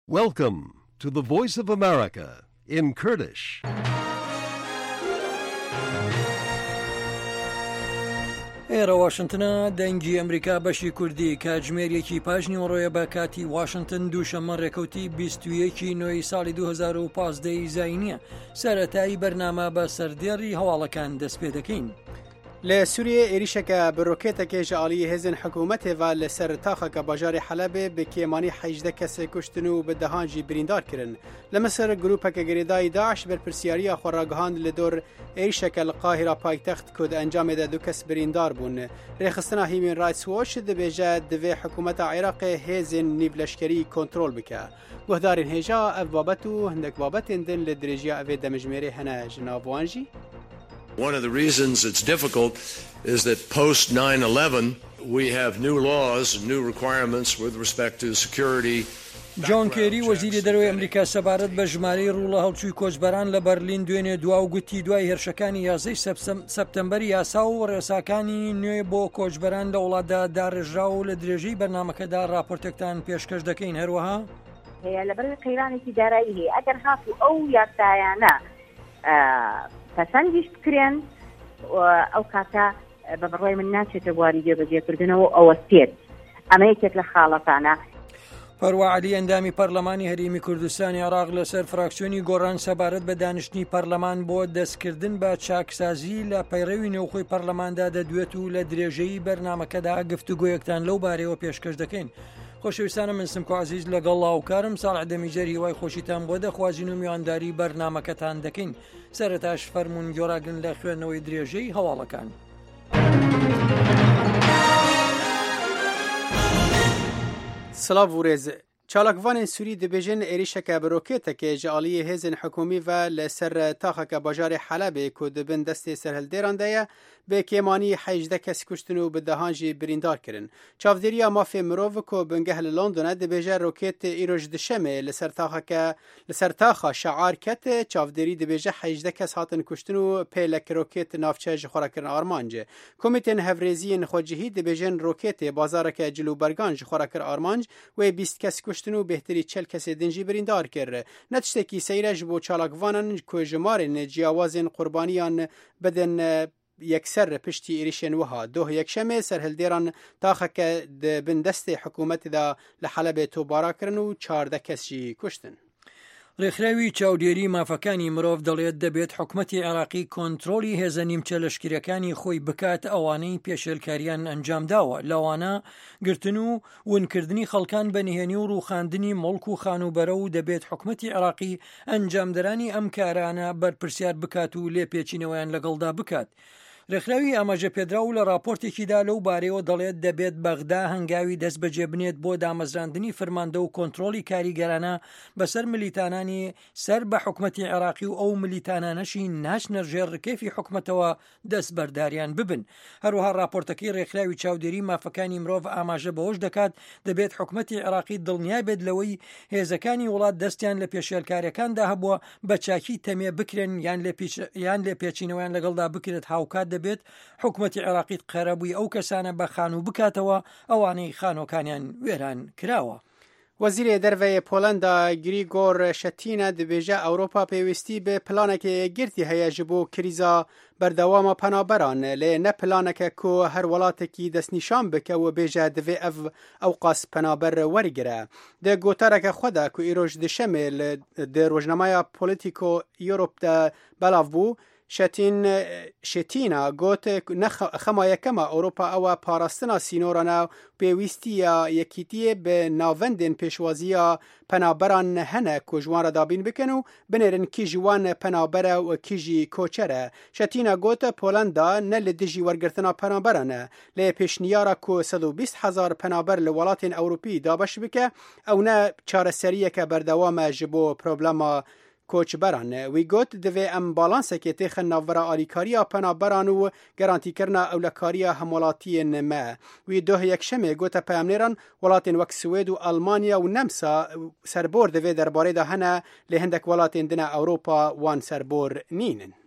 Welcome to the Voice of America in Kurdish. ئێرە واشنتنە دەنگی ئەمریکا بەشی کوردی کاتژمێر یەکی پاش نیوەڕۆیە بە کاتی واشنتن دووشەممە ڕێکەوتی 21 نۆی ساڵی 2015 ی زینیە سەرەتایی بەرنامە بە سەردێڕی هەواڵەکان دەست پێ دەکەین. Li Sûriyeyê êrîşeke bi rokêtekê ji aliyê hêzên hikûmetê ve li ser taxeke bajarê Helebê bi kêmanî 18 kesê kuştin û bi dehan jî birîndar kirin. Li Misir grûpeke girêdayî DAIŞ berpirsyariya xwe ragihand li dor êrîşeke li Qahîra paytext ku di encamê de du kes birîndar bûn. Rêxistina Human Rights Watch dibêje divê hikûmeta Iraqê hêzên nîvleşkerî kontrol bike. Guhdarên hêja ev babet û hindek babetên din li dirêjiya evê demijmêrê hene ji nav wan jî. One of the reasons it's difficult is that post 9/11 we have new laws and new requirements with respect to security. جۆن کێری وەزیری دەرەوەی ئەمریکا سەبارەت بە ژمارەی ڕووڵە هەڵچووی کۆچبەران لە بەرلین دوێنێ دوا و گوتی دوای هێرشەکانی یازدەی سەپتەمبەر یاسا و ڕێساکانی نوێ بۆ کۆچبەران لە وڵاتدا داڕێژرا و لە درێژەی بەرنامەکەدا ڕاپۆرتێکتان پێشکەش دەکەین هەروەها هەیە لەبەرەوەی قەیرانێکی دارایی هەیە ئەگەر هاتوو ئەو یاسایانە پەسەندیش بکرێن ئەو کاتە بە بڕوای من ناچێتە بواری جێبەجێکردنەوە ئەوەستێت ئەمە یەکێک لە خاڵەکانە. پەروا عەلی ئەندامی پەرلەمانی هەرێمی کوردستانی عێراق لەسەر فراکسیۆنی گۆڕان سەبارەت بە دانیشتنی پەرلەمان بۆ دەستکردن بە چاکسازی لە پەیڕەوی نێوخۆی پەرلەماندا دەدوێت و لە درێژەی بەرنامەکەدا گفتوگۆیەکتان لەو بارەیەوە پێشکەش دەکەین. خۆشەویستانە من سمکۆ عزیز لەگەڵ لاوکارم ساڵح دەمیجەر هیوای خۆشیتان بۆ دەخوازین و میوانداری بەرنامەکەتان دەکەین سەرەتاش فەرمونون گۆراگرن لە خوێندنەوەی درێژەی هەواڵەکان. سڵاv û rêz. Çalakvanên Sûrî dibêjin êrîşeke bi rokêtekê ji aliyê hêzên hikûmî ve li ser taxeke bajarê Helebê ku di bin destê serhildêran de ye, bi kêmanî 18 kes kuştin û bi dehan jî birîndar kirin. Çavdêriya mafê mirov ku bingeh li London e dibêje rokêt îro ji duşemê li ser taxeke Li ser taxa Şear ket, çavdêrî dibêje 18 kes hatin kuştin û pêlek rokêt navçe ji xwe re kirin armanc. Komîtên hevrêziyên xwecihî dibêjin rokêtê bazareke cil û bergan ji xwe re kir armanc, wê 20 kes kuştin û bêhtirî 40 kesê din jî birîndar kir. Ne tiştekî seyr e ji bo çalakvanan ku jimarên ciyawazên qurbaniyan bidin yekser piştî êrişên wiha. Doh Yekşemê serhildêran taxeke di bin destê hikûmetê de li Helebê topbara kirin û 14 kes jî kuştin. ڕێکخراوی چاودێری مافەکانی مرۆڤ دەڵێت دەبێت حکومەتی عێراقی کۆنترۆڵی هێزە نیمچە لەشکریەکانی خۆی بکات ئەوانەی پێشێلکاریان ئەنجامداوە لەوانە گرتن و ونکردنی خەڵکان بە نهێنی و ڕووخاندنی موڵک و خانووبەرە و دەبێت حکومەتی عێراقی ئەنجامدەرانی ئەم کارانە بەرپرسیار بکات و لێپێچینەوەیان لەگەڵدا بکات. رێکخراوی ئاماژەپێدراو لە راپۆرتێکیدا لەو بارەیەوە دەڵێت دەبێت بەغدا هەنگاوی دەستبەجێ بنێت بۆ دامەزراندنی فرماندە و کۆنترۆڵی کاریگەرانە بەسەر ملیتانانی سەر بە حکومەتی عێراقی و ئەو ملیتانانەشی ناچنە ژێر رکێفی حکومەتەوە دەستبەرداریان ببن. هەروەها راپۆرتەکەی رێکخراوی چاودێری مافەکانی مرۆڤ ئاماژە بەوەش دەکات، دەبێت حکومەتی عێراقی دڵنیا بێت لەوەی هێزەکانی وڵات دەستیان لە پێشێلکاریەکاندا هەبووە بە چاکی تەمێ بکرێن یان لێپێچینەوەیان لەگەڵدا بکرێت هاوکات دەبێت حکومەتی عێراقی قەرەبووی ئەو کەسانە بە خانوو بکاتەوە ئەوانەی خانووەکانیان وێران کراوە. وەزیرê Derve yê Polenda Grigor Şetîne dibêje Ewropa pêwîstî bi planeke yekgirtî heye ji bo krîza berdewama penaberan lê ne planeke ku her welatekî destnîşan bike û bêje divê ev ewqas penaber wergire. Di gotareke xwe de ku îro ji duşemê li di rojnameya Politico Europe de belav bû, Şetîn Şetîna got ne xema yekem a Ewropa ew e parastina sînoran e û pêwîstiya yekîtiyê bi navendên pêşwaziya penaberan hene ku ji wan re dabîn bikin û binêrin kî ji wan penaber e û kî jî koçer e. Şetîna got Polenda ne li dijî wergirtina penaberan e lê pêşniyara ku 120 hezar penaber li welatên Ewropî dabeş bike ew ne çareseriyeke berdewam e ji bo problema koçberan. Wî got, Divê em balansekê têxin navbera alîkariya penaberan û garantîkirina ewlekariya hemwelatiyên me. Wî doh Yekşemê gote peyamnêran, welatên wek Swêd û Elmanya û Nemsa serbor di vê derbarê de hene lê hindek welatên din e Ewropa wan serbor nînin.